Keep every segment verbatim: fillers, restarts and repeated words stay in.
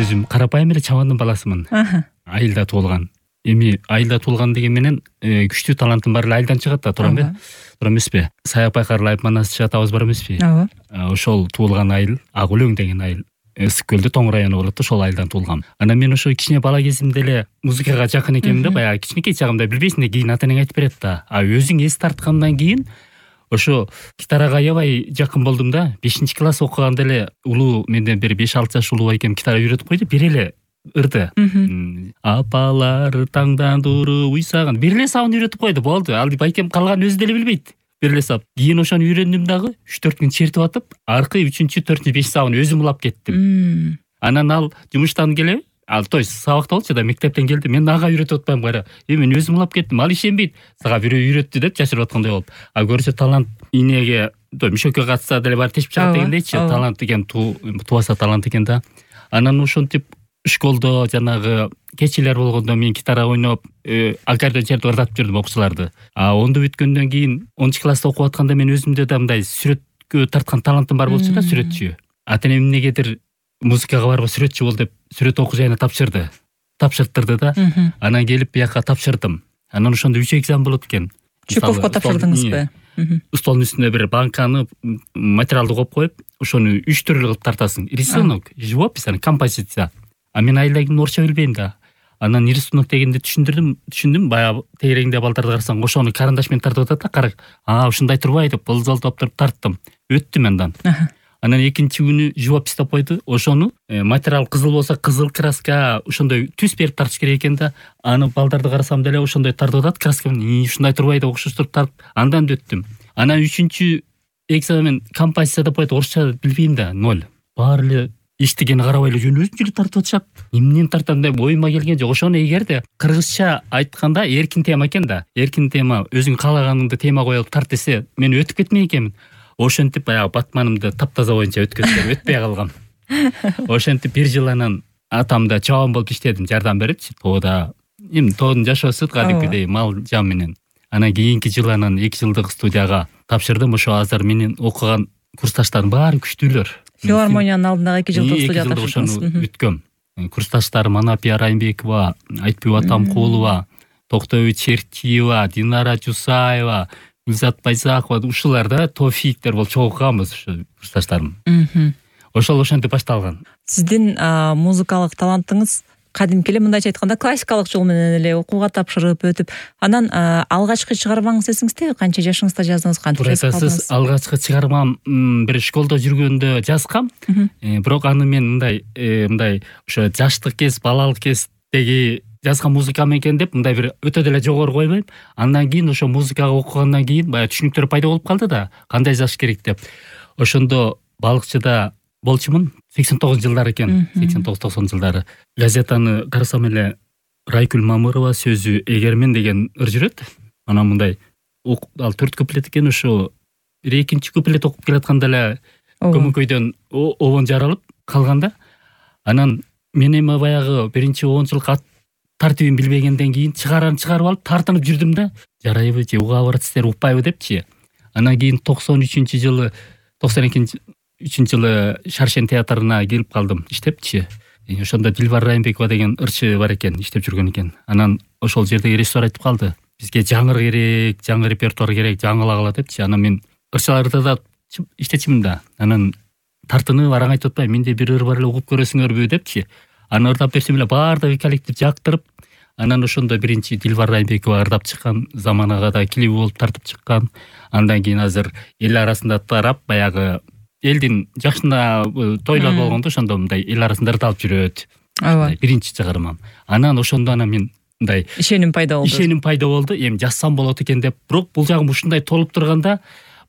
өзүм карапайым эле чабандын баласымын. Айылда туулган. Эми айылда туулган деген менен күчтүү талантым бар эле айылдан чыгат да, турам бе? Тура эмеспи? Саяк Байкарлы айып манас атабыз бар эмеспи? Ооба. Ошол туулган айыл, Ак Өлөң деген айыл. Ысык көлдө Тоң району болот да, ошол айылдан туулгам. Анан мен ошо кичине бала кезимде эле музыкага жакын экенмин да, баягы кичинекей чагымда билбейсиң да, кийин ата энең айтып берет да. А өзүң эс тарткандан кийин ошо гитарага аябай жакын болдум да. бешинчи класс окуганда эле улуу менден бир беш алты жаш улуу экем гитара үйрөтүп койду, бир эле ырды. Апалар таңдан туруп уйсаган. Бир эле сабын үйрөтүп койду, болду. Ал байкем калганын өзү деле билбейт. Бир эле саб. Кийин ошону үйрөндүм дагы, үч төрт күн чертип атып, аркы үчүнчү, төртүнчү, беш сабын өзүм улап кеттим. Анан ал жумуштан келип, ал той сабакта болчу да, мектептен келди. Мен ага үйрөтүп атпайм кара. Э, мен өзүм улап кеттим. Ал ишенбейт. Сага бирөө үйрөттү деп жашырып аткандай болуп. А көрсө талант инеге, той мишөккө катса деле бар тешип чыгат дегендейчи, талант экен, тубаса талант экен да. Анан ошентип школдо жанагы кечилер болгондо мен гитара ойноп, аккордеон чертип ырдатып жүрдүм окуучуларды. А онду бүткөндөн кийин онунчу класста окуп атканда мен өзүмдө да мындай сүрөткө тарткан талантым бар болчу да, сүрөтчү. Ата энем эмнегедир музыкага барба, сүрөтчү бол деп сүрөт окуу жайына тапшырды. Тапшырттырды да. Анан келип бияка тапшырдым. Анан ошондо үч экзамен болот экен. Чуковко тапшырдыңызбы? Столдун үстүнө бир банканы материалды коюп коюп, ошону үч түрлүү кылып тартасың. Рисунок, живопись, композиция. А мен айылдагы орусча билбейм да. Анан рисунок дегенди түшүндүрдүм, түшүндүм, баягы тегерегинде балдарды карасаң, ошону карандаш менен тартып атат да, кара. А, ушундай турбай деп, болзолтоп туруп тарттым. Өттүм андан. Анан экинчи күнү живопись деп койду. Ошону материал кызыл болсо кызыл краска, ошондой түс берип тартыш керек экен да. Аны балдарды карасам деле ошондой тартып атат, краска менен ушундай турбай деп окшоштуруп тартып, андан өттүм. Анан үчүнчү экзамен композиция деп койду, орусча билбейм да, ноль. Баары эле эчтегени карабай эле жөн өзүнчө эле тартып атышат. Эмнени тартам деп оюма келген жок. Ошону эгерде кыргызча айтканда эркин тема экен да. Эркин тема, өзүң каалаганыңды тема коюп тарт десе, мен өтүп кетмей экенмин. Ошентип баягы батманымды таптаза боюнча өткөзүп өтпөй калгам. Ошентип бир жыл анан атамда чабан болуп иштедим, жардам берипчи. Тоодо эми тоодун жашоосу кадимкидей мал жан менен. Анан кийинки жылы анан эки жылдык студияга тапшырдым. Ошо азыр менин окуган курсташтарым баары күчтүүлөр. Филармониянын алдындагы эки жылдык студияда тапшырдыңыз. Бүткөм. Курсташтарым Анапия Райымбекова, Айтбү Атамкулова, Токтобой Чертиева, Динара Жусаева, Гүлзат Байзакова, ушулар да тофиктер болуп чогуу окуганбыз ушу курсташтарым. Ошол ошентип башталган. Сиздин музыкалык талантыңыз кадимки эле, мындайча айтканда, классикалык жол менен эле окууга тапшырып өтүп, анан алгачкы чыгармаңыз эсиңиздеби? Канча жашыңызда жаздыңыз, кантип жазып калдыңыз? Сиз алгачкы чыгармам бир школдо жүргөндө жазгам. Бирок аны мен мындай, мындай ошо жаштык кез, балалык кездеги жазган музыкам экен деп мындай бир өтө деле жогору койбойм. Андан кийин ошо музыкага окугандан кийин баягы түшүнүктөр пайда болуп калды да, кандай жазыш керек деп. Ошондо балыкчыда болчумун, сексен тогузунчу жылдар экен, сексен тогуз токсонунчу жылдары. Газетаны карасам эле Райкүл Мамырова сөзү эгермен деген ыр жүрөт. Анан мындай ал төрт куплет экен, ошо бир экинчи куплет окуп келатканда эле көмөкөйдөн обон жаралып калганда. Анан мен эми баягы биринчи он жылкы ат тартибин билбегенден кийин чыгаран чыгарып алып тартынып жүрдүм да. Жарайбы же уга баратсыздар, укпайбы депчи. Анан кийин токсон үчүнчү жылы, токсон экинчи жылы Шаршен театрына келип калдым, иштепчи. Ошондо Дилбар Райымбекова деген ырчы бар экен, иштеп жүргөн экен. Анан ошол жердеги режиссер айтып калды: бизге жаңыр керек, жаңы репертуар керек, жаңылагыла депчи. Анан мен ырчыларды да иштечимин да. Анан тартынып араң айтып атпайм, менде бир ыр бар эле, угуп көрөсүңөрбү депчи. Аны ырдап берсем эле баардыгы коллектив жактырып, анан ошондо биринчи Дилбар Райымбекова ырдап чыккан, Заманага да клип болуп тартып чыккан. Андан кийин азыр эл арасында тарап, баягы элдин жакшына тойлор болгондо ошондо мындай эл арасында ырдалып жүрөт. Ооба. Биринчи чыгармам. Анан ошондо анан мен мындай ишеним пайда болду. Ишеним пайда болду. Эми жазсам болот экен деп, бирок бул жагым ушундай толуп турганда,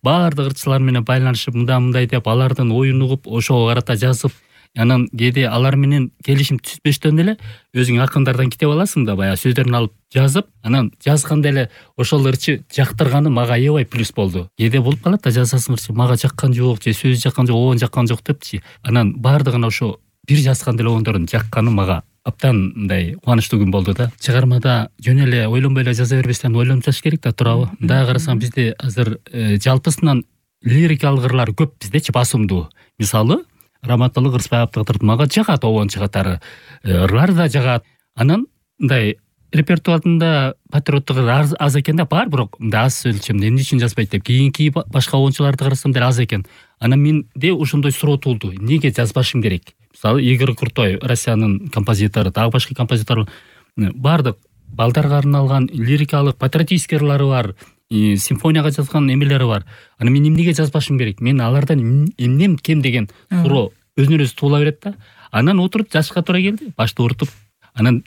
баардык ырчылар менен байланышып, мындай-мындай деп алардын оюн угуп, ошого карата жазып, анан кээде алар менен келишим түзбөстөн эле өзүң акындардан китеп аласың да, баягы сөздөрүн алып жазып, анан жазганда эле ошол ырчы жактырганы мага аябай плюс болду. Кээде болуп калат да, жазасың ырчы, мага жаккан жок, же сөз жаккан жок, оон жаккан жок депчи. Анан баардыгына ошо бир жазган эле оондордун жакканы мага аптан мындай кубанычтуу күн болду да. Чыгармада жөн эле ойлонбой эле жаза бербестен ойлонуп жазыш керек да, туурабы? Мындай карасаң бизде азыр жалпысынан лирикалык ырлар көп биздечи, басымдуу. Мисалы, Раматылык Ырысбаевдин тыртмага жагат, обончу катары ырлар да жагат. Анан мындай репертуарында патриоттук аз, аз экен да, бар, бирок мындай аз өлчөмдө эмне үчүн жазбайт деп. Кийинки башка обончуларды карасам деле аз экен. Анан менде ошондой суроо туулду. Эмнеге жазбашым керек? Мисалы Игорь Крутой, Россиянын композитору, дагы башка композиторлор, бардык балдарга арналган лирикалык, патриотический ырлары бар, симфонияга жазган эмелери бар. Анан мен эмнеге жазбашым керек? Мен алардан эмнем кем деген суроо өзүнөн өзү туула берет да. Анан отуруп жазышка туура келди. Башты урутуп, анан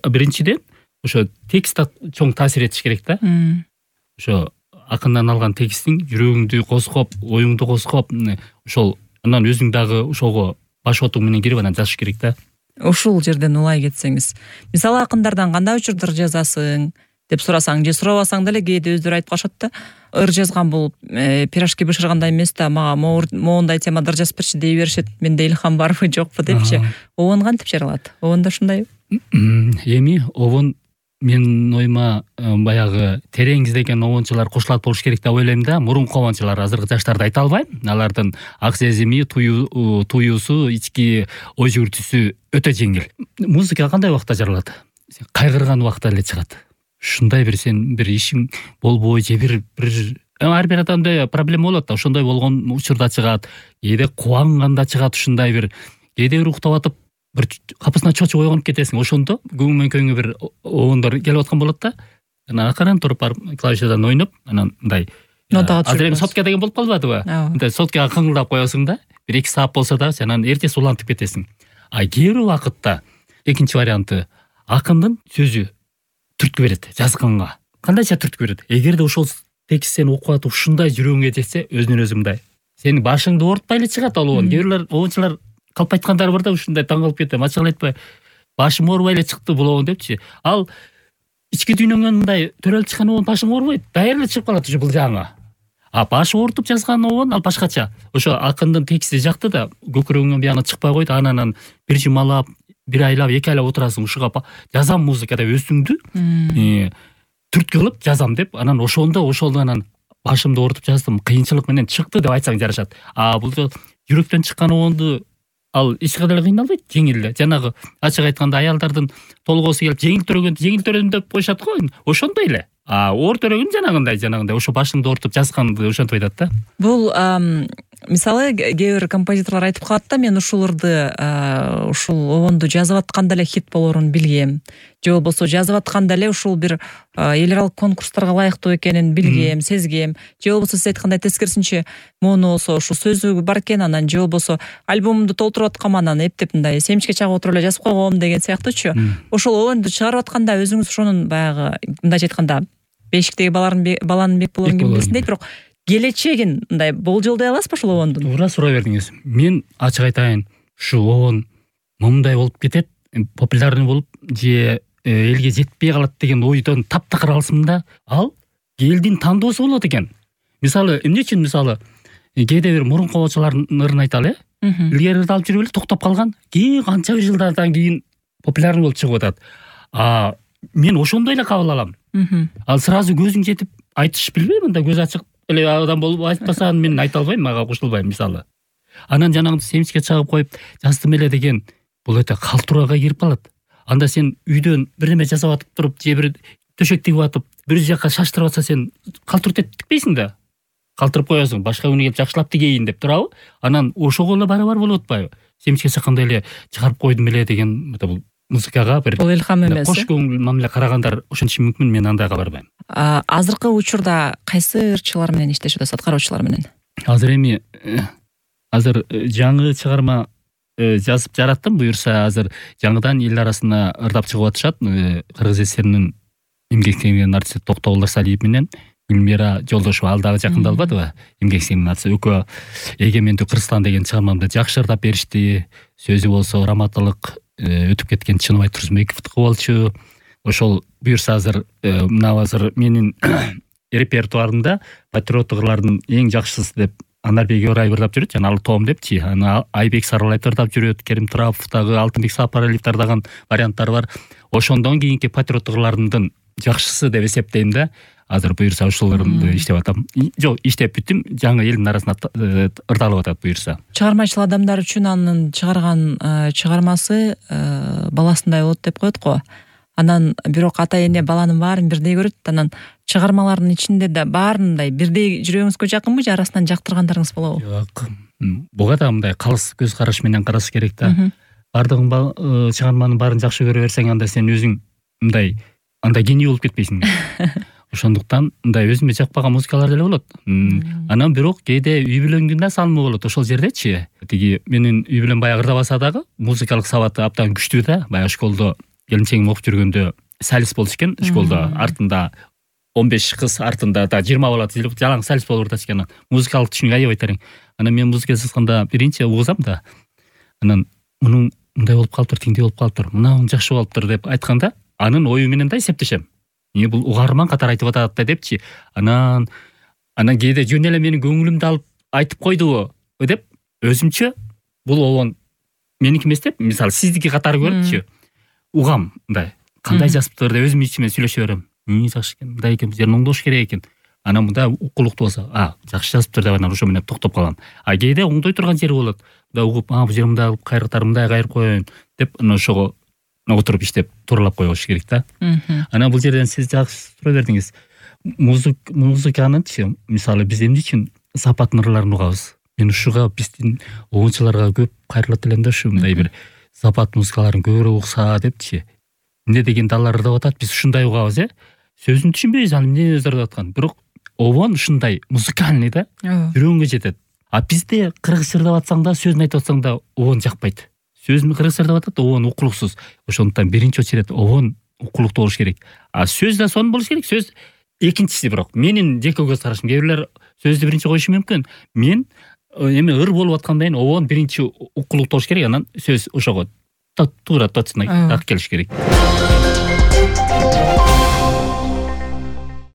биринчиден ошо текст чоң таасир этиш керек да. Ошо акындан алган текстиң жүрөгүңдү козгоп, оюңду козгоп, ошол анан өзүң дагы ошого баш отуң менен кирип анан жазыш керек да. Ушул жерден улай кетсеңиз, мисалы акындардан кандай учурдар жазасың деп сурасаң же сурабасаң деле кээде өздөрү айтып калышат да. Ыр жазган бул пирожки бышыргандай эмес да, мага моундай темада ыр жазып берчи дей беришет. Менде илхам барбы жокпу депчи. Обон кантип жаралат? Обондо ушундай эми обон менин оюма баягы терең издеген обончулар кошулат болуш керек деп ойлойм да. Мурунку обончулар, азыркы жаштарды айта албайм. Алардын ак сезими, туюусу, ички ой жүгүртүүсү өтө жеңил. Музыка кандай убакта жаралат? Кайгырган убакта эле чыгат. Ушундай бир сен бир ишиң болбой же бир бир ар бир адамда проблема болот да. Ошондой болгон учурда чыгат. Кээде кубанганда чыгат ушундай бир. Кээде бир уктап атып бир капысына чочуп ойгонуп кетесиң. Ошондо көңүл көңү бир обондор келип аткан болот да. Анан акырын туруп барып клавишадан ойноп, анан мындай азыр эми сотка деген болуп калбадыбы? Мындай соткага кыңгылдап коесуң да. бир эки саат болсо да сен анан эртеси улантып кетесиң. А кээ бир убакытта экинчи варианты акындын сөзү түрткү берет жазганга. Кандайча түрткү берет. Эгерде ошол текст сен окуп атып ушундай жүрөгүңө жетсе, өзүнөн өзү мындай сени башыңды оорутпай эле чыгат ал обон. Кээ бирлер обончулар калп айткандар бар да, ушундай таң калып кетем. Ачык айтпай, башым оорубай эле чыкты бул обон депчи. Ал ички дүйнөңөн мындай төрөлүп чыккан обон башың оорубайт, дайыр эле чыгып калат ушу бул жаңы. А башы оорутуп жазган обон ал башкача. Ошо акындын тексти жакты да, көкүрөгүңөн бияна чыкпай койду. Анан бир жумалап, бир айлап, эки айлап отурасың ушуга жазам музыка деп өзүңдү түрткү кылып жазам деп, анан ошондо ошол анан башымды оорутуп жаздым, кыйынчылык менен чыкты деп айтсаң жарашат. А бул жүрөктөн чыккан обонду ал эч кандай эле кыйналбайт, жеңил эле. Жанагы ачык айтканда аялдардын толгоосу келип жеңил төрөгөн, жеңил төрөдүм деп коюшат го. Ошондой эле. А оор төрөгөн жанагындай, жанагындай ошо башыңды оорутуп жазганды ошентип айтат да. Бул мисалы кээ бир композиторлор айтып калат да, мен ушул ырды, ушул обонду жазып атканда эле хит болорун билгем. Же болбосо жазып атканда эле ушул бир эл аралык конкурстарга ылайыктуу экенин билгем, сезгем. Же болбосо сиз айткандай тескерисинче мону болсо ушул сөзү бар экен, анан же болбосо альбомумду толтуруп аткам, анан эптеп мындай семчке чагып отуруп эле жазып койгом деген сыяктуучу. Ошол обонду чыгарып атканда өзүңүз ошонун баягы мындайча айтканда бешиктеги баланын бек болорун ким билсин дейт, бирок келечегин мындай болжолдой аласызбы ушул обондун? Туура суроо бердиңиз. Мен ачык айтайын, ушу обон момундай болуп кетет, популярный болуп же элге жетпей калат деген ойдон таптакыр алсым да. Ал элдин тандоосу болот экен. Мисалы эмне үчүн мисалы кээде бир мурунку обончулардын ырын айталы, э? Илгери ырды алып жүрүп эле токтоп калган, кийин канча бир жылдардан кийин популярный болуп чыгып атат. А мен ошондой эле кабыл алам. Ал сразу көзүң жетип айтыш билбейм, мындай көз ачык эле адам болуп айтпасаң мен айта албайм, мага кошулбайм мисалы. Анан жанагы семчке чагып коюп жаздым эле деген бул өтө калтурууга кирип калат. Анда сен үйдөн бир неме жасап атып туруп, же бир төшөк тигип атып, бир жака шаштырып атса сен калтырып тикпейсиң да. Калтырып коесуң, башка күнү келип жакшылап тигейин деп турабы? Анан ошого эле барабар болуп атпайбы? Семчке чаккандай эле чыгарып койдум эле деген бул музыкага бир бул илхам эмес. Кош көңүл мамиле карагандар ошентиши мүмкүн, мен андайга барбайм. Азыркы учурда кайсы ырчылар менен иштешип атасыз, аткаруучулар менен? Азыр эми азыр жаңы чыгарма жазып жараттым, буюрса азыр жаңыдан эл арасына ырдап чыгып атышат. Кыргыз эсеринин эмгек сиңген артисти Токтогул Ырсалиев менен Гүлмира Жолдошева, ал дагы жакындалбадыбы? Эмгек сиңген артисти экөө Эгемендүү Кыргызстан деген чыгармамды жакшы ырдап беришти. Сөзү болсо раматылык өтүп кеткен Чыныбай Турсунбековдуку болчу. Ошол буюрса азыр мына азыр менин репертуарымда патриоттук ырлардын эң жакшысы деп Анарбек Орай ырдап жүрөт, жана ал том депчи. Аны Айбек Сарылаев ырдап жүрөт, Керим Турапов дагы, Алтынбек Сапаралиев ырдаган варианттар бар. Ошондон кийинки патриоттук ырлардын жакшысы деп эсептейм да. азыр буюрса ушуларды иштеп атам. Жок, иштеп бүттүм, жаңы элдин арасына ырдалып атат буюрса. Чыгармачыл адамдар үчүн анын чыгарган чыгармасы баласындай болот деп коет го. Анан бирок ата эне баланын баарын бирдей көрөт. Анан чыгармалардын ичинде да баарындай бирдей жүрөгүңүзгө жакынбы же арасынан жактыргандарыңыз болобу? Жок. Буга да мындай калыс көз караш менен караш керек да. Бардыгын чыгарманын баарын жакшы көрө берсең, анда сен өзүң мындай андай гений болуп кетпейсиң. Ошондуктан мындай өзүмө жакпаган музыкалар деле болот. Анан бирок кээде үй бүлөңдүн да салымы болот. Ошол жердечи тиги менин үй бүлөм баягы ырдабаса дагы музыкалык сабаты абдан күчтүү да. Баягы школдо келинчегим окуп жүргөндө солист болчу экен, школдо артында он беш кыз, артында да жыйырма бала тизилип жалаң солист болуп атат экен. Музыкалык түшүнүк аябай терең. Анан мен музыка сызганда биринчи угузам да. Анан мунун мындай болуп калыптыр, тиңдей болуп калыптыр, мынау жакшы болуптур деп айтканда, анын ою менен да эсептешем. Эмне бул угарман катары айтып атат да депчи. Анан анан кээде жөн эле менин көңүлүмдү алып айтып койдубу деп өзүмчө бул обон меники эмес деп, мисалы сиздики катары көрүпчү. Угам мындай кандай жазыптыр деп өзүм ичиме сүйлөшө берем. Эмне жакшы экен, мындай экен, жерин оңдош керек экен. Анан мында укулуктуу болсо, а, жакшы жазыптыр деп анан ошо менен токтоп калам. А кээде оңдой турган жери болот. Да угуп, а, бул жер мындай кылып кайрыктар мындай кайрып коеюн деп анан ошого отуруп иштеп тууралап койгош керек да. Анан бул жерден сиз жакшы суроо бердиңиз. Музыканычы, мисалы биз эмне үчүн сапаттын ырларын угабыз? Мен ушуга биздин оңчуларга көп кайрылат элем да, ушу мындай бир сапат музыкаларын көбүрөөк укса депчи. Эмне дегенде алар ырдап атат, биз ушундай угабыз, э? Сөзүн түшүнбөйбүз, аны эмне ырдап аткан. Бирок обон ушундай музыкальный да, жүрөгүңгө жетет. А бизде кыргызча ырдап атсаң да, сөзүн айтып атсаң да обон жакпайт. Сөзүн кыргызча ырдап атат, обон укулуксуз. Ошондуктан биринчи очередь обон укулуктуу болуш керек. А сөз да сонун болуш керек. Сөз экинчиси, бирок менин жеке көз карашым. Кээ бирлер сөздү биринчи коюшу мүмкүн. Мен эми ыр болуп аткандан кийин обон биринчи укулуктуу болуш керек, анан сөз ошого туура точно так келиш керек.